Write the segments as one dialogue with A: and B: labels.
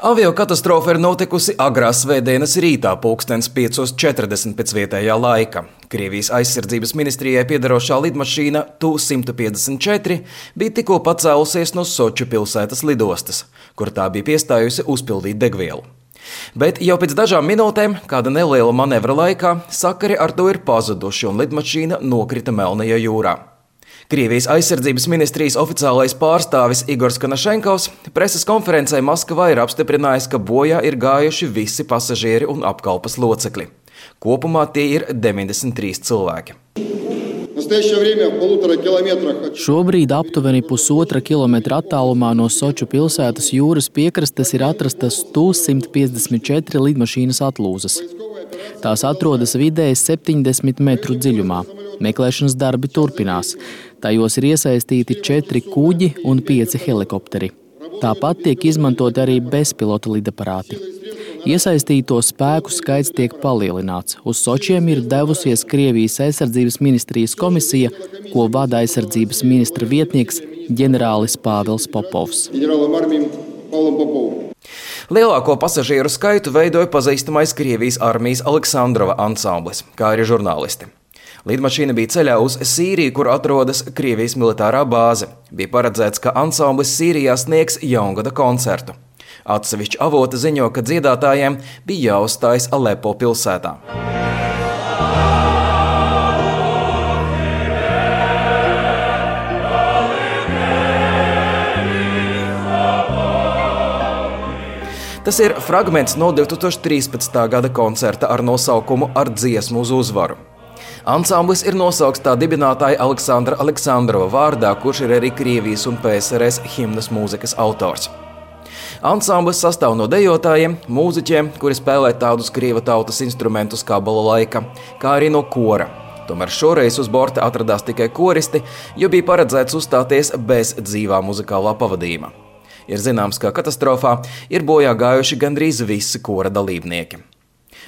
A: Aviokatastrofa ir notikusi agrās svētdienas rītā, pulkstens 5:40 pēc vietējā laika. Krievijas aizsardzības ministrijai piederošā lidmašīna Tu-154 bija tikko pacēlusies no Soču pilsētas lidostas, kur tā bija piestājusi uzpildīt degvielu. Bet jau pēc dažām minūtēm, kāda neliela manevra laikā, sakari ar to ir pazuduši un lidmašīna nokrita Melnajā jūrā. Krievijas aizsardzības ministrijas oficiālais pārstāvis Igors Kanašenkovs preses konferencē Maskavā ir apstiprinājis, ka bojā ir gājuši visi pasažieri un apkalpes locekļi. Kopumā tie ir 93 cilvēki.
B: Šobrīd aptuveni 1,5 kilometra attālumā no Soču pilsētas jūras piekrastes ir atrastas Tu-154 lidmašīnas atlūzas. Tās atrodas vidēji 70 metru dziļumā. Meklēšanas darbi turpinās. Tajos ir iesaistīti 4 kuģi un 5 helikopteri. Tāpat tiek izmantoti arī bezpilota lidaparāti. Iesaistīto spēku skaits tiek palielināts. Uz Sočiem ir devusies Krievijas aizsardzības ministrijas komisija, ko vada aizsardzības ministra vietnieks ģenerālis Pāvils Popovs.
A: Lielāko pasažieru skaitu veidoja pazīstamais Krievijas armijas Aleksandrova ansamblis, kā arī žurnālisti. Lidmašīna bija ceļā uz Sīriju, kur atrodas Krievijas militārā bāze. Bija paredzēts, ka ansamblis Sīrijā sniegs jaungada koncertu. Atsevišķi avoti ziņo, ka dziedātājiem bija jāuzstājas Alepo pilsētā. Tas ir fragments no 2013. gada koncerta ar nosaukumu Ar dziesmu uz uzvaru. Ansamblis ir nosaukts tā dibinātāja Aleksandra Aleksandrova vārdā, kurš ir arī Krievijas un PSRS himnas mūzikas autors. Ansamblis sastāv no dejotājiem, mūziķiem, kuri spēlē tādus krievu tautas instrumentus kā balalaika, kā arī no kora. Tomēr šoreiz uz borta atradās tikai koristi, jo bija paredzēts uzstāties bez dzīvā muzikālā pavadījuma. Ir zināms, ka katastrofā ir bojā gājuši gandrīz visi kora dalībnieki.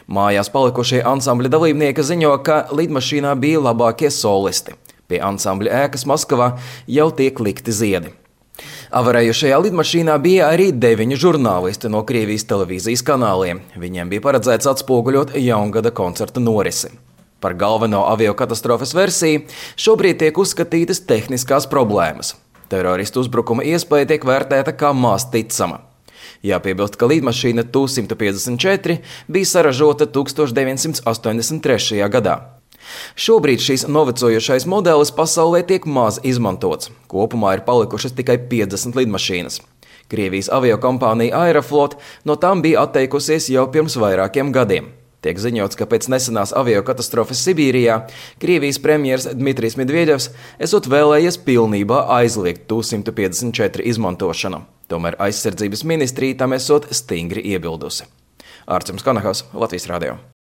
A: Mājās palikušie ansambļa dalībnieki ziņo, ka lidmašīnā bija labākie solisti. Pie ansambļa ēkas Maskavā jau tiek likti ziedi. Avarējušajā lidmašīnā bija arī 9 žurnālisti no Krievijas televīzijas kanāliem. Viņiem bija paredzēts atspoguļot jaungada koncerta norisi. Par galveno aviokatastrofas versiju šobrīd tiek uzskatītas tehniskās problēmas. Teroristu uzbrukuma iespēja tiek vērtēta kā maz ticama. Jāpiebilst, ka lidmašīna Tu-154 bija saražota 1983. gadā. Šobrīd šīs novecojušais modelis pasaulē tiek maz izmantots. Kopumā ir palikušas tikai 50 lidmašīnas. Krievijas aviokompānija Aeroflot no tām bija atteikusies jau pirms vairākiem gadiem. Tiek ziņots, ka pēc nesenās aviokatastrofas Sibīrijā Krievijas premjers Dmitrijs Medvedevs esot vēlējies pilnībā aizliegt Tu-154 izmantošanu. Tomēr aizsardzības ministrija tam esot stingri iebildusi. Ārčuns Kanahos, Latvijas radio.